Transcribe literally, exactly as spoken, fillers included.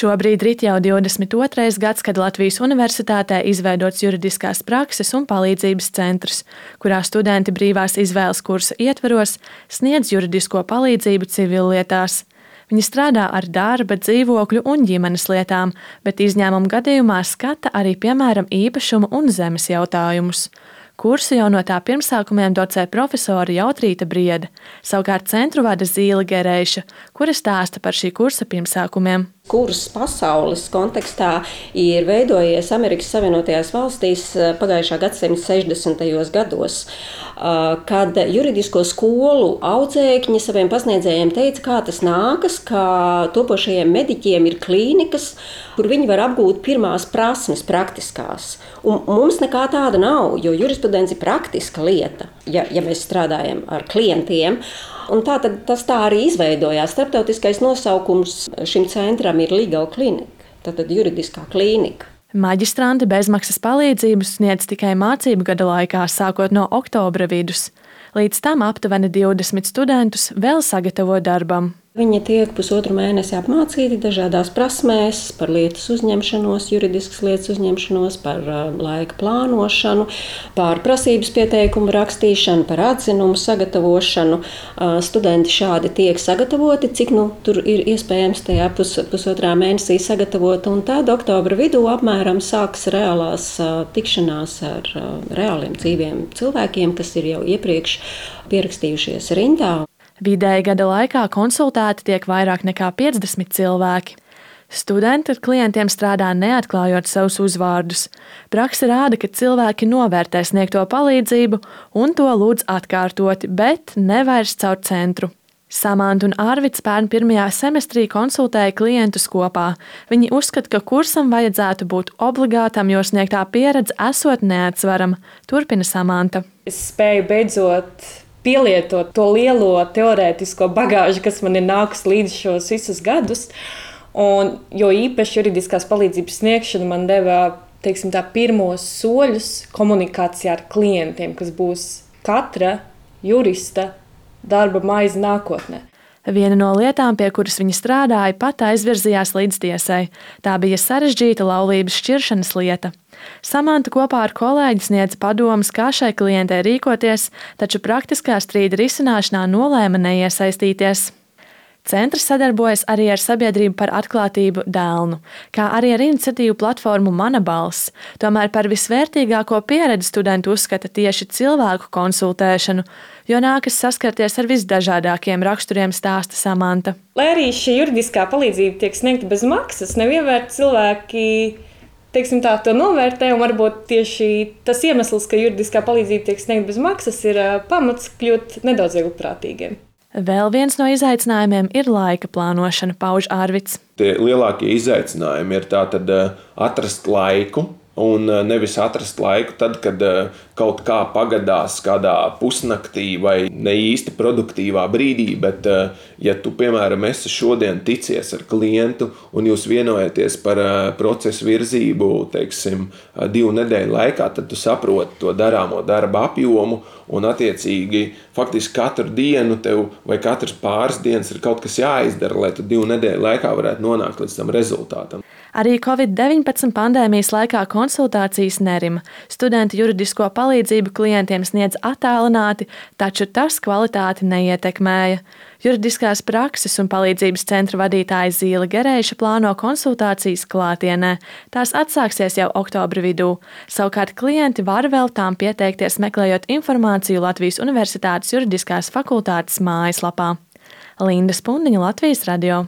Šobrīd rit jau divdesmit otrais gads, kad Latvijas Universitātē izveidots juridiskās prakses un palīdzības centrs, kurā studenti brīvās izvēles kursa ietvaros sniedz juridisko palīdzību civillietās. Viņi strādā ar darba, dzīvokļu un ģimenes lietām, bet izņēmuma gadījumā skata arī, piemēram, īpašumu un zemes jautājumus. Kursu jau no tā pirmsākumiem docē profesore Jautrīta Briede, savukārt centru vada Zīle Gerēša, kura stāsta par šī kursa pirmsākumiem. Kurs pasaules kontekstā ir veidojies Amerikas Savienotajās valstīs pagājušā gadsimta sešdesmitajos gados, kad juridisko skolu audzēkņi saviem pasniedzējiem teica, kā tas nākas, ka topošajiem mediķiem ir klīnikas, kur viņi var apgūt pirmās prasmes praktiskās. Un mums nekā tāda nav, jo jurisprudence ir praktiska lieta, ja, ja mēs strādājam ar klientiem. Un tā tad tas tā arī izveidojās. Starptautiskais nosaukums šim centram ir Legal Clinic, tātad juridiskā klīnika. Maģistranti bezmaksas palīdzību sniedz tikai mācību gada laikā, sākot no oktobra vidus. Līdz tam aptuveni divdesmit studentus vēl sagatavo darbam. Viņi tiek pusotru mēnesi apmācīti dažādās prasmēs par lietas uzņemšanos, juridiskas lietas uzņemšanos, par laika plānošanu, par prasības pieteikumu rakstīšanu, par atzinumu sagatavošanu. Studenti šādi tiek sagatavoti, cik nu tur ir iespējams tajā pus, pusotrā mēnesī sagatavot, un tad oktobra vidū apmēram sāks reālās tikšanās ar reāliem dzīviem cilvēkiem, kas ir jau iepriekš pierakstījušies rindā. Vidēji gada laikā konsultēti tiek vairāk nekā piecdesmit cilvēki. Studenti ar klientiem strādā neatklājot savus uzvārdus. Prakse rāda, ka cilvēki novērtē sniegto palīdzību un to lūdz atkārtoti, bet ne vairs caur centru. Samanta un Arvids pērn pirmajā semestrī konsultēja klientus kopā. Viņi uzskata, ka kursam vajadzētu būt obligātam, jo sniegtā pieredze esot neatsverama. Turpina Samanta. Es spēju beidzot pielietot to lielo teorētisko bagāžu, kas man ir nākus līdz šos visus gadus. Un, jo īpaši juridiskās palīdzības sniegšana man deva, teiksim tā, pirmos soļus komunikācijā ar klientiem, kas būs katra jurista darba maize nākotnē. Viena no lietām, pie kuras viņa strādāja, pat aizvirzījās līdz tiesai. Tā bija sarežģīta laulības šķiršanas lieta. Samanta kopā ar kolēģi sniedza padomus, kā šai klientei rīkoties, taču praktiskā strīda risināšanā nolēma neiesaistīties. Centrs sadarbojas arī ar Sabiedrību par atklātību Dēlnu, kā arī ar iniciatīvu platformu Mana balss. Tomēr par visvērtīgāko pieredzi studenti uzskata tieši cilvēku konsultēšanu, jo nākas saskarties ar visdažādākiem raksturiem, stāsta Samanta. Lai arī šī juridiskā palīdzība tiek sniegta bez maksas, nevienmēr cilvēki, teiksim tā, to novērtē, un varbūt tieši tas iemesls, ka juridiskā palīdzība tiek sniegta bez maksas, ir pamats kļūt nedaudz vieglprātīgiem. Vēl viens no izaicinājumiem ir laika plānošana, pauž Arvids. Tie lielākie izaicinājumi ir tātad atrast laiku, un nevis atrast laiku tad, kad kaut kā pagadās kādā pusnaktī vai ne īsti produktīvā brīdī, bet ja tu, piemēram, esi šodien ticies ar klientu un jūs vienojaties par procesu virzību, teiksim, divu nedēļu laikā, tad tu saproti to darāmo darba apjomu un attiecīgi faktiski katru dienu tev vai katras pāris dienas ir kaut kas jāizdara, lai tu divu nedēļu laikā varētu nonākt līdz tam rezultātam. Arī covid deviņpadsmit pandēmijas laikā konsultācijas nerima. Studenti juridisko palīdzību klientiem sniedz attālināti, taču tas kvalitāti neietekmēja. Juridiskās prakses un palīdzības centra vadītāja Zīle Gerēša plāno konsultācijas klātienē. Tās atsāksies jau oktobra vidū. Savukārt klienti var vēl tām pieteikties, meklējot informāciju Latvijas Universitātes juridiskās fakultātes mājaslapā. Linda Spundiņa, Latvijas radio.